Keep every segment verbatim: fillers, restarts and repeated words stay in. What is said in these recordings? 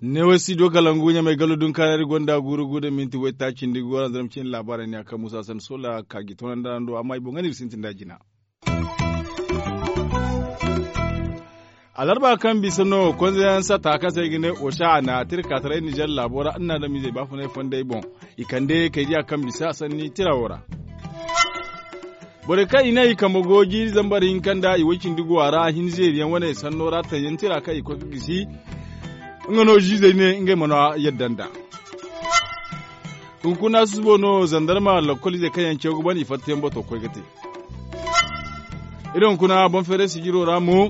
Neewo studio kalangu ɲamay gallo dunkaari gonda guuru guuru da minti waytaaci nda guuru a zarma cine laabaarey ne a kaŋ muusa sanda sola ka ga i toonandi araŋ do amma i boŋ ga no iri sintin nd'a jina. Alarba kaŋ bisa no konzeyaŋ satta kaŋ se i ga ne osa a na tirka taray nizer laabo ra iri na adamizey baafunay fondey boŋ. I kande kay diya kaŋ bisa sanni tira wo ra. Borey kaŋ i ne i kambe go jiiri zambar hinka nda i way cindi go a ra hinzeeriyaŋ wane sanno ra taŋyaŋ tira kaŋ i koy ga gisi. Nga no ziizey ne ngey mana yadda nd'a. Hunkuna susubo no zandarma lakkol izey kaŋ yaŋ caw ga ban i fattayaŋ bato koy ga te. Iri hunkuna boŋ feeray sijiro ra mo.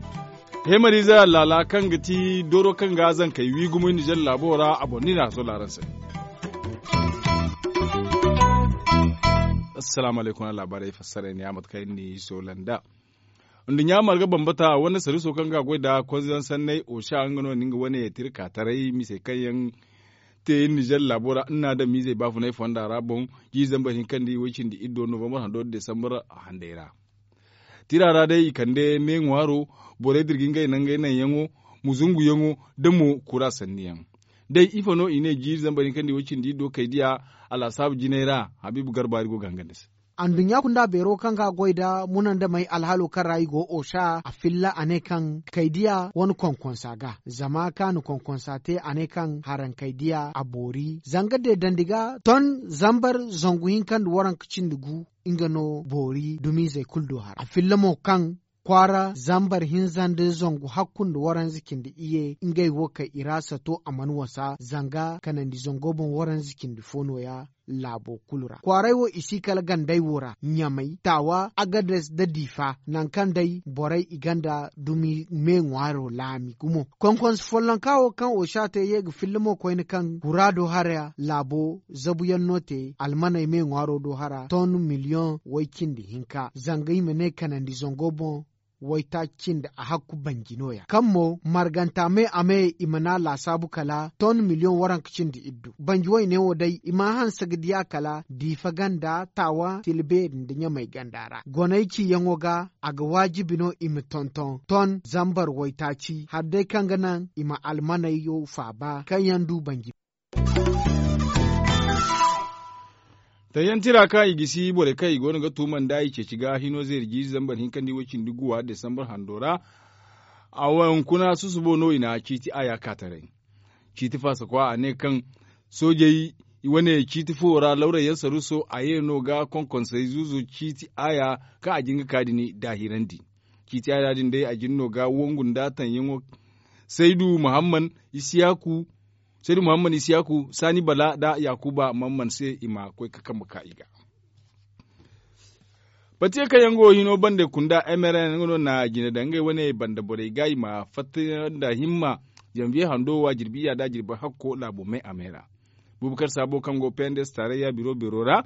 Hemariize laala kaŋ ga ti dooro kaŋ ga zankey wi gumo i nizer laabo ra a boŋ no i na a sola araŋ se. Assalaamu alaykum a laabaarey fassarey ne a mate kaŋ iri n'i sola nd'a. Nduɲɲa marga bambata wane sariso kaŋ ga a goy nda konzeyaŋ sanney osa nga no ni nga wane tirka taray misey kaŋ yaŋ te nizer laabo ra iri na adamizey baafunay fonda ra boŋ. Jiiri zambar hinka nda i way cindi iddo novambar hando nda desambar handay ra. Tira ra day i kande me ŋwaaro borey da iri ga ngey nangey naŋyaŋo muzunguyaŋo da mo kura sanniyaŋ. Day ifo no i ne jiiri zambar hinka nda i way cindi iddo kay diya. Alaasaabu jinay ra habiibu garbaari go ga hangan ni se. Anduɲɲa kunda beero kaŋ ga a goy nda munandamey alhalo kaŋ ra i go osa a filla a ne kaŋ kay diya wane konkonsa ga zama kaŋ a na konkonsa te a ne kaŋ harankey diya a boori zanga deedandi ga ton zambar zangu hinka nda waranka cindi gu. Nga no boori dumizey kulu do hara a filla mo kaŋ kwaara zambar hinza nda zangu hakku nda waranza cindi iyye ngey wo kay i ra sato a mana wasa zanga kanandi zango boŋ waranza cindi fo nooya. Laabo kulu ra kwaaray wo i si kala gandey wo ra ɲamay taawa agades nda diifa nangu kaŋ day borey i gonda dumi me ŋwaaro laami gumo. Konkonse follonka wo kaŋ osa te ye ga filla mo koyne kaŋ guraado hara laabo zabuyaŋ no te almaney me ŋwaaro do hara ton miliyoŋ way cindi hinka zanga i ma ne kanandi zango boŋ. Waytaaci cindi a hakku banji nooya kaŋ mo marganta me a me i mana laasaabu kala ton miliyoŋ waranka cindi iddu banji wayne wo day i mana hanse ga diya kala diifa ganda taawa tilbeeri nda ɲamay ganda ra goney ciyaŋo ga a ga waajibi no i ma tonton ton zambar waytaaci hari day kaŋ ga naŋ i ma almaney faaba kaŋ yaŋ du banji. Tayyaŋ tira kaŋ i gisi borey kaŋ i go no ga tuuma nda i ceeci ga hino zeeri jiiri zambar hinka nda i way cindi guwa desambar hando ra. A waŋ kuna susubo no i na ciiti aya ka taray. Ciiti faasakwa a ne kaŋ soojey i wane ciiti fo ra lawray yaŋ saruuso a ye no ga konkonsey zuuzu ciiti aya kaŋ a jin ga ka din daahirandi. Ciiti aya din day a jin no ga wangu nda taŋyaŋo. Saydu muhammad isiyaaku saydu muhammad isiyaaku saani bala nda yaakuba muhammad se i ma koy ga kambe ka i ga. Batiye kaŋ yaŋ go hino banda kunda mrn nga no na jine daŋ ngey wane banda borey ga i ma fatta nda himma. Zanviye hando wa jirbi iyya nda jirbi hakko laabo me a me ra. Bubakar saabo kaŋ go pnds tarayya biro beero ra.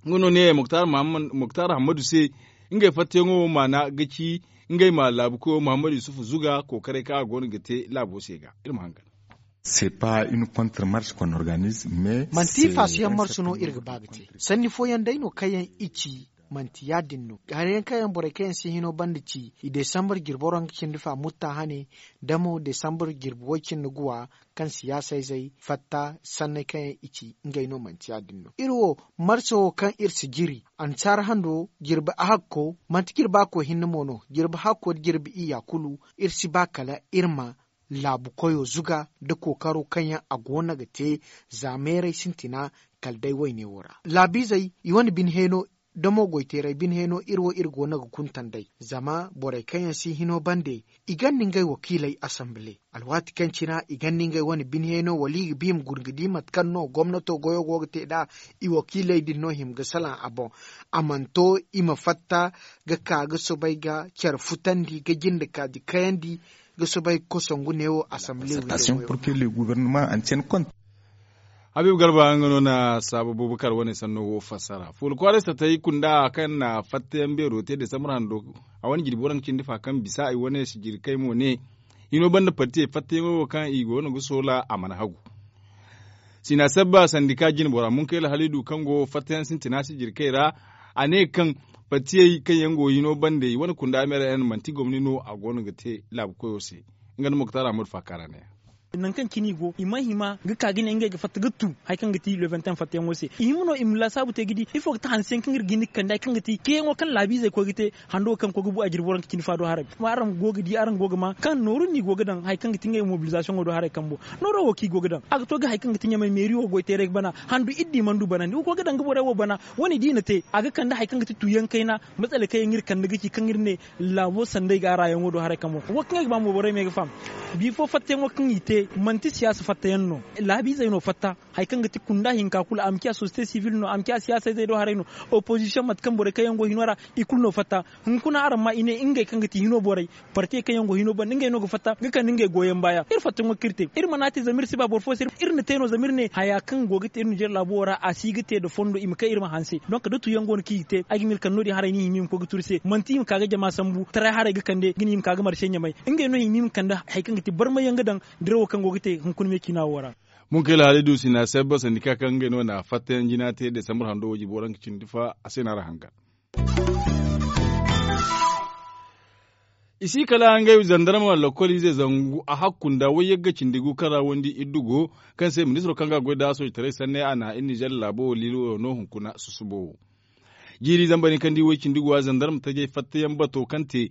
Nga no ne muktar hammadu se ngey fattayaŋo wo maana ga ci ngey ma laabu koyo muhammadu yusufu zuga kookaray kaŋ a go no ga te laabo se ga iri ma hangan. C'est pas une contre marche qu'on organise mais manti faasiyaŋ marsu no iri ga ba ga te sanni fooyaŋ day no kaŋ yaŋ i ci. Manti ya- din no hari yaŋ kaŋ yaŋ borey kaŋ yaŋ si hino banda ci i desambar jirbi waranka cindi fa mutta hane da mo desambar jirbi way cindi guwa kaŋ siyaasa izey fatta sanney kaŋ yaŋ i ci ngey no manti ya- din no iri wo marso wo kaŋ iri si jiri ansaara hando jirbi ahakko manti jirbi hakko hinne mo no jirbi hakko nda jirbi iyya kulu iri si ba kala iri ma laabu koyo zuga nda kookaro kaŋ yaŋ a go no ga te za meeray sintina kala day wayne wo ra laabiizey i wane bine heeno da mo goyteeray bine heeno iri wo iri go no ga kuntan day zama borey kaŋ yaŋ si hino bande i gonda ngey wakiiley asambile alwaati kaŋ cina i gonda ngey wane bine heeno wala i ga ba i ma guna ga di mate kaŋ no gomnato goyo go ga te nd'a i wakiiley din no hima ga salaŋ a boŋ a mana to i ma fatta ga ka ga soobay ga care futandi ga jinde kaaji kayandi ga soobay ga kosangu neewo asambile windo goyo. Habiibu garba nga no na saabu bubakar wane sanno wo fassara fuula kwaaray satay kunda kaŋ na fattayaŋ beero te desambar hando a wane jirbi waranka cindi fa kaŋ bisa i wane sijiri kay mo ne hino banda partiyey fattayaŋo wo kaŋ i go no ga soola a mana hagu. Sina sabba sandika jine bora munkayla halidu kaŋ go fattayaŋ sintina sijirkey ra. A ne kaŋ fattiyey kaŋ yaŋ go hino bande i wane kunda meera yaŋ manti gomni no a go no ga te laabu koyo se. Nga nda moktar ahmadu faakara ne. Nangu kaŋ cine i go i mana hima ga ka ga ne ngey ga fatta ga tu hari kaŋ ga ti le vingt et un fattayaŋo se i hima no i ma laasaabu te ga di ifo ga ti hanse yaŋ kaŋ iri ga hin ga kande hari kaŋ ga ti ceeyaŋo kaŋ laabiizey koy ga te. Hando kaŋ koy ga bu a jirbi waranka cindi fa do haray. Kuma araŋ go ga di araŋ go ga ma kaŋ nooru no i go ga daŋ hari kaŋ ga ti ngey mobilizasiyoŋo do haray kambo. Nooro wo kaŋ i go ga daŋ a ga to ga hari kaŋ ga ti ɲamay meeri wo goy teeray ga bana handu iddi mana du banandi wo go ga daŋ ga borey wo bana. Wo- ne da i na te a ga kande hari kaŋ ga ti tuuyaŋ kayna. Matsala kaŋ yaŋ iri kande ga ci kaŋ iri ne laabo sanday ga a raayaŋo do haray kambo wo kaŋ ay ga ba mo borey ma ay ga faham. Bifo fattayaŋo kaŋ i te manti siyaasa fattayaŋ no. Laabiizey no fatta hari kaŋ ga ti kunda hinka kulu a ma ciya sosiyete sivil no a ma ciya siyaasa izey do haray no. Opozisiyoŋ mate kaŋ borey kaŋ yaŋ go hino ra i kulu no fatta. Hunkuna araŋ ma i ne ngey kaŋ ga ti hino borey partey kaŋ yaŋ go hino banda ngey no ga fatta ga kande ngey goyaŋ baaya iri fattayaŋo kaŋ iri te iri mana te zama iri si ba boro fo se iri na te no zama iri ne haya kaŋ go ga te iri ninzeer laabo wo ra a si ga te nda fondo i ma kay iri ma hanse donk da tuuyaŋ go no kaŋ i ga te ay ga ma iri kande no- din haray no i hima i ma koy ga turu se manti i ma ka ga jama sambu taray haray ga kande ga ne i ma ka ga marse ɲamay. Ngey no i hima i ma kande hari kaŋ ga ti barmayyaŋ ga daŋ dirawo kaŋ go ga te hunkuna me ciina wo ra. Munkayla halidu sina sabba sandika kaŋ ngey no na fattayaŋ jina te desambur hando wo jibo ra nga cindi fa a se no a ra hanga. I si kala ngey zandarma lakkol ize zangu a hakku nda wayyagga cindi gu kaŋ ra wandi iddu go kaŋ se ministiro kaŋ ga a goy nda sooje taray sanney a na iri nizer laabo wo liilo no hunkuna susubo wo. Jiiri zamba din kaŋ di way cindi go a zandarma tajey fattayaŋ bato kaŋ te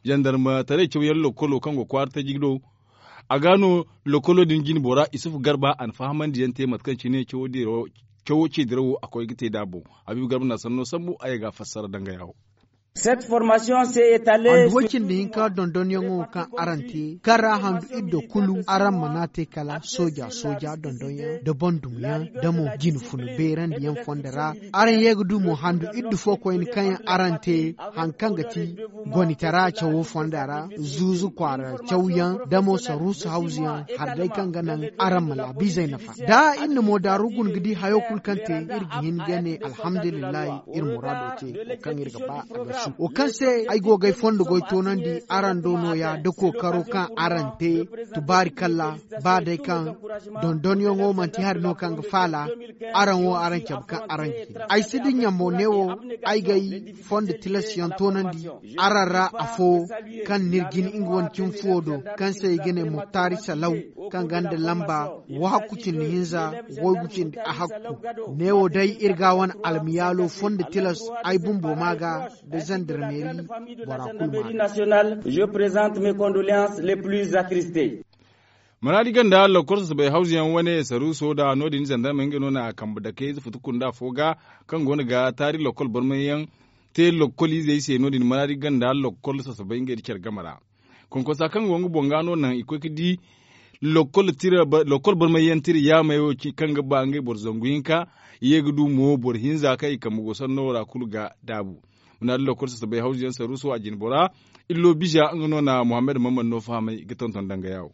zandarma taray cawyaŋ lakkolo kaŋ go kwaara taji do. A ga no lakkolo din jine bora isufu garba a na fahamandi yaŋ te mate kaŋ cine cawo ce dirawo a koy ga te nd'a boŋ. Habiibu garba na sanno sambu a ye ga a fassara danga yawo. Handu way cindi hinka dondonyaŋo kaŋ araŋ te kaŋ ra handu iddo kulu araŋ mana te kala sooja sooja dondonyaŋ nda bandumyaŋ nda mo jine funa beerandiyaŋ fondo ra. Araŋ ye ga du mo handu iddu fo koyne kaŋ yaŋ araŋ te hari kaŋ ga ti gonitara cawo fonda ra zuuzu kwaara cawyaŋ nda mo saruusu hawzuyaŋ hari day kaŋ ga naŋ araŋ ma laabiizey nafa. Da iri na mo daaru guna ga di hayo kulu kaŋ te iri ga hin ga ne alhamdulillahi. Iri muraado te wo kaŋ iri ga ba a ga su wo kaŋ se ay go ga ay fondo goy toonandi araŋ do nooya nda kookaro kaŋ araŋ te. Tubaari kalla ba day kaŋ dondonyaŋo manti hari no kaŋ ga faala. Araŋ wo araŋ cabe kaŋ araŋ ga hin ay si dinya mo neewo ay ga ay fondo tilasyaŋ toonandi araŋ ra afo kaŋ n'iri jin nga wane cimi fuwo do kaŋ se i ga ne muktaari salaw kaŋ gonda lamba wahakku cindi hinza waygu cindi ahakku. Neewo day iri ga a wane almiyaalo fondo tilas ay bumbo ma ga nda zandarmeeri bora kulu ma ga. Maraadi ganda lakkol sasabay hawzuyaŋ wane saruuso da no- din zandarmey ngey no na kambe dakey ize futu kunda fo ga kaŋ go no ga taari lakkol barmayyaŋ te lakkol izey se no- din maraadi ganda lakkol sasabay ngey nda care game ra. Konkonsa kaŋ go nga boŋ ga no naŋ i koy ga di lakkol barmayyaŋ tira yaamey wo kaŋ ga ba ngey boro zangu hinka. I ye ga du mo boro hinza kaŋ i kambe go sanno ra kulu ga daabu. Maraadi lakkol sasabay hawzuyaŋ saruuso a jine bora illo biza nga no na muhammad mammad no fahamay ga tonton danga yaawo.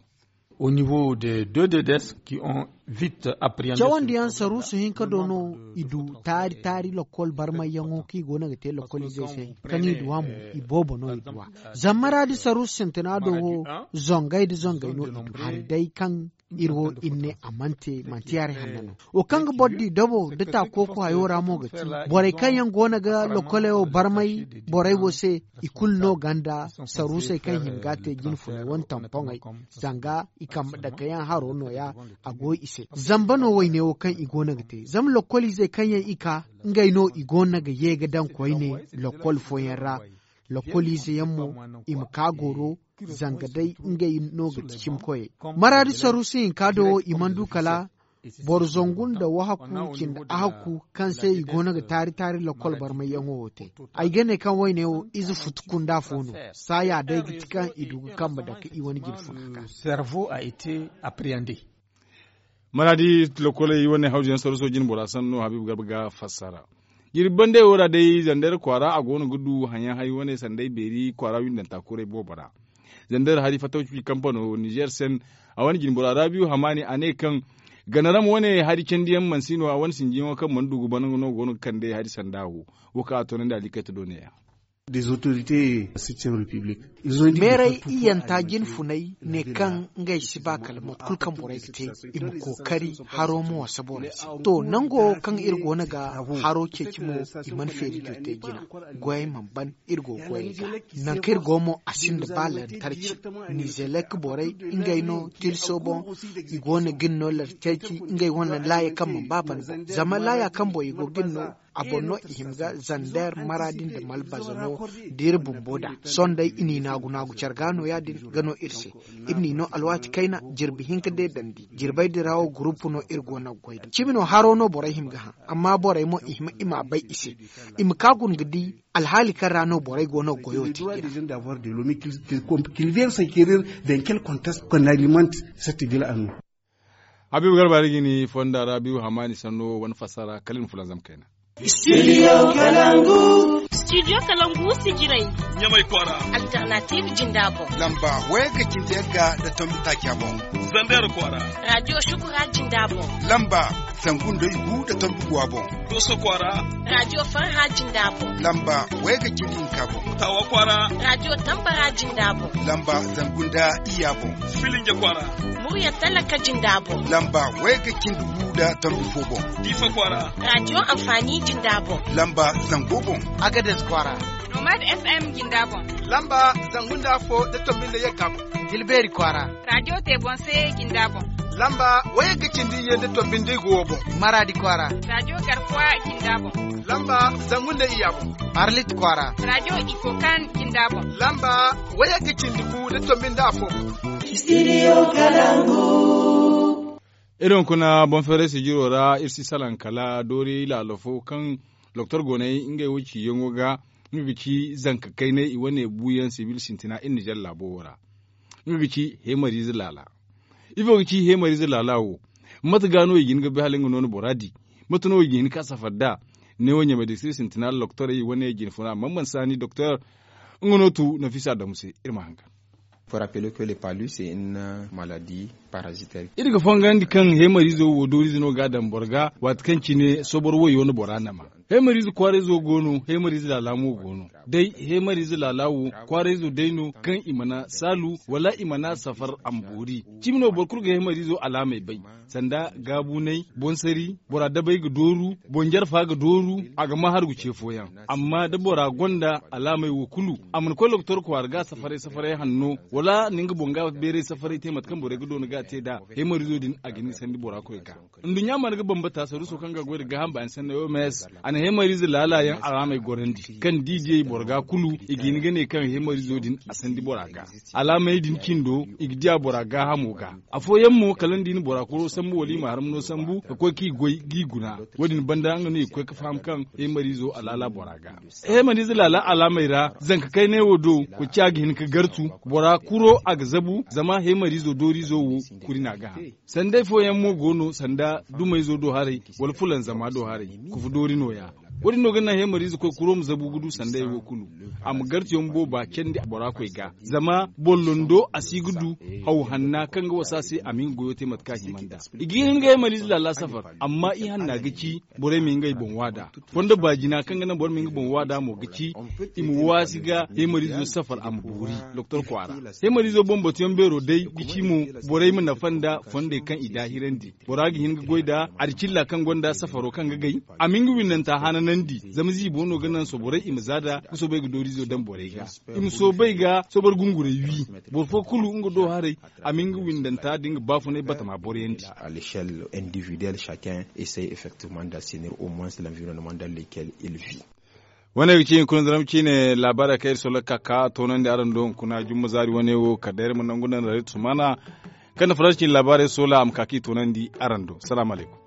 Cawandiyaŋ saruusu hinka do no i du taari taari lakkol barmayyaŋo kaŋ i go no ga te lakkol izey se kaŋ i duwa mo i boobo no i duwa. Zama maraadi saruusu sintina do wo zongay nda zongay no i du hari day kaŋ iri wo iri ne a mana te manti hari hanno no. Wo kaŋ ga boro di dabo nda taakooko hayo ra mo ga ti borey kaŋ yaŋ go no ga lokkoley wo barmay borey wo se i kulu no gonda saruusey kaŋ hima ga a te jine funay wane tampoŋey. Zanga i kambe dake yaŋ haro nooya a go i se. Zamba no wayne wo kaŋ i go no ga te zama lokkol izey kaŋ yaŋ i ka ngey no i go no ga ye ga daŋ koyne lokkol fooyaŋ ra. Lokkol ize yaŋ mo i ma ka goro zanga day ngey no ga ti cimkoyey. Maraadi saruusu hinka do wo i mana du kala boro zangu nda wahakku cindi ahakku kaŋ se i go no ga taari taari lakkol barmayyaŋo wo te. Ay ga ne kaŋ wayne wo ize futu kunda fo no. Saaya day ga ti kaŋ i du ga kambe dake i wane jine funa ga. Maraadi lokkoley wane hawzuyaŋ saruuso jine bora sanno habiibu garba ga fassara. Jirbi bande wo ra day zandar kwaara a go no ga du hayaŋ hari wane sanday beeri kwaara windanta kuray boobo ra. Zandar hari fattaw cuci kampano nizer sen a wane jinbora rabiyu hamaani a ne kaŋ ganaram wane hari candiyaŋ mansi no a wane sinjiyaŋo kaŋ mana du ga bana no go no ga kande hari sanda wo. Wo kaŋ a toonandi a likkay ta do neeya. Meeray iyanta jinfunay ne kaŋ ngey si ba kala mate kulu kaŋ borey ga te, i ma kookari haro ma wasa borey se. To, nango kaŋ iri go no ga haro ceeci mo, i mana feeri diyo te jina. Goyey mana ban, iri go goyey ga. Nangu kaŋ iri go mo, a sinda ba lantarki. Nizelek borey, ngey no tilso boŋ, i go no ga iri no lantarki ngey wane laaya kaŋ mana ba ban boŋ. Zama laaya kaŋ boŋ i go ga iri no, a boŋ no i hima ga zander, maraadi nda malbaza no da iri bumbo da. Sohõ day i n'i naagu naagu care ga no ya- din ga no iri se. Iri n'i no alwaati kayna, jirbi hinka deedandi. Jirbey din ra wo gurupu no iri go no ga goy da. Cimi no haro no borey hima ga hã, amma borey mo i hima i m'a bay i se. I ma ka guna ga di alhaali kaŋ ra no borey go no ga goyo te i ra. Habiibu garba ra ga ni fonda ra biibu hamaani sanno wane fassara kala iri ma fulanzam kayna. Studio kalangu. Studio kalangu sijiray. Ɲamay kwaara. Alternative jinda boŋ. Lamba wayga cindi yagga da tombi taaca boŋ. Zander kwaara. Radio shukura jinda boŋ. Lamba zangu nda igu da tombi guwa boŋ. Doso kwaara. Radio farha jinda boŋ. Lamba wayga cindi hinka boŋ. Tawa kwaara. Radio tambara jinda boŋ. Lamba zangu nda iyya boŋ. Filinja kwaara. Murya talaka jinda boŋ. Lamba wayga cindi gu da tombi fo boŋ. Diifa kwaara. Radio amfani jinda boŋ. Lamba zango boŋ. Agades kwaara. Nomad FM jinda boŋ. Lamba zangu nda afo da tombi nda yagga boŋ. Dilbeeri kwaara. Radio te boŋ se jinda boŋ. Lamba wayagga cindi iyye nda tombi nda igu wo boŋ. Maraadi kwaara. Radio garkuwa jinda boŋ. Lamba zangu nda iyya boŋ. Arlit kwaara. Radio ikokan jinda boŋ. Lamba wayagga cindi gu nda tombi nda afo boŋ. Studio kalangu. Iri hunkuna boŋ feeray sijiro ra iri si salaŋ kala doori laalo fo kaŋ doktor gooney ngey wo ciyaŋo ga. Nga ga ci zanka kaynay i wane buuyaŋ sibil sintina iri nizer laabo wo ra. Nga ga ci heemariize laala. Ifo ga ci heemariize laala wo? Mate ga no i ga hin ga bay hala nga no ni bora di? Mate no i ga hin ka safar nd'a? Neewo ɲamay da siri sintina doktorey wane jinfuna man man saani doktor. Nga no tu nafisa damu se iri ma hangan. Pour rappeler que le palu c'est une maladie parasitaire. Iri ga fongandi kaŋ heemariizo wo dooriize no ga a daŋ boro ga waati kaŋ cine sobor wayo no bora nama. Heemariize kwaarayzo go no, heemariize laala mo go no. Day heemariize laala wo kwaarayzo day no kaŋ i mana saalu wala i mana safar a ma boori. Cimi no boro kulu ga heemariizo alaamey bay. Sanda gaabunay, boŋ sari, bora dabay ga dooru, boŋ jarfa ga dooru, a ga ma hargu ce fooyaŋ. Amma da bora gonda alaamey wo kulu, a mana koy doktor kwaara ga safaray safaray hanno, wala na nga boŋ ga beeray safaray te mate kaŋ borey ga doona ga te nd'a, heemariizo din a ga hin ga sandi bora koy ga. Nduɲɲa mana ga bambata saruuso kaŋ ga goy nda gaaham baani sanna oms, a na heemariize laala yaŋ alaamey gorandi kaŋ da i diyey boro ga kulu i ga hin ga ne kaŋ heemariizo din a sandi bora ga. Alaamey din cindo i ga diya bora gaahamo ga. Afooyaŋ mo kala ni di ni bora kuro sambu wala i ma harmano sambu ka koy k'i goy g'i guna. Wo- din banda nga no i ga koy ga faham kaŋ heemariizo a laala bora ga. Heemariize laala alaamey ra zanka kaynay wo do, koy ciya ga hin ga gartu. Bora kuro a ga zabu zama heemariizo dooriizo wo kuri no a ga hã. Sanday fooyaŋ mo go no sanda dumayzo do haray, wala fulanzama do haray. Kufu doori nooya. Wo- din no ga naŋ heemariize koy kuro ma zabu ga du sanday wo kulu. A ma gartiyaŋ booba candi bora koy ga zama boŋ londo a si ga du haw hanna kaŋ ga wasa se a ma hin ga goyo te mate kaŋ a hima nd'a. I ga hin ga heemariize laala safar, amma i hanna ga ci borey ma ngey boŋ waada. Fondo baajina kaŋ ga naŋ boro ma nga boŋ waada mo ga ci i ma waasi ga heemariizo safar a ma boori doktor kwaara. Heemariizo boŋ batuyaŋ beero day ga ci mo borey ma nafa nda fondey kaŋ i daahirandi. Bora ga hin ga goy nda adicilla kaŋ gonda safaro kaŋ ga gay, a ma nga windanta hananandi. Zama ziibo no ga naŋ soborey i ma za nd'a ga soobay ga dooriizo daŋ borey ga. I ma soobay ga sobor gungurey wi. Boro fo kulu nga do haray a ma nga windanta da nga baafunay batama boroyandi. À l'échelle individuelle chacun essaye effectivement d'assainir au moins l'environnement dans lequel il vit. Wane ga ci hunkuna zaram ciine laabaarey kaŋ iri solla ga ka ka toonandi araŋ do hunkuna jumma zaari wane wo kala day iri ma nangu naŋ rayt sumana kaŋ na faransi ciine laabaarey soola a ma ka k'i toonandi araŋ do salaamu alaykum.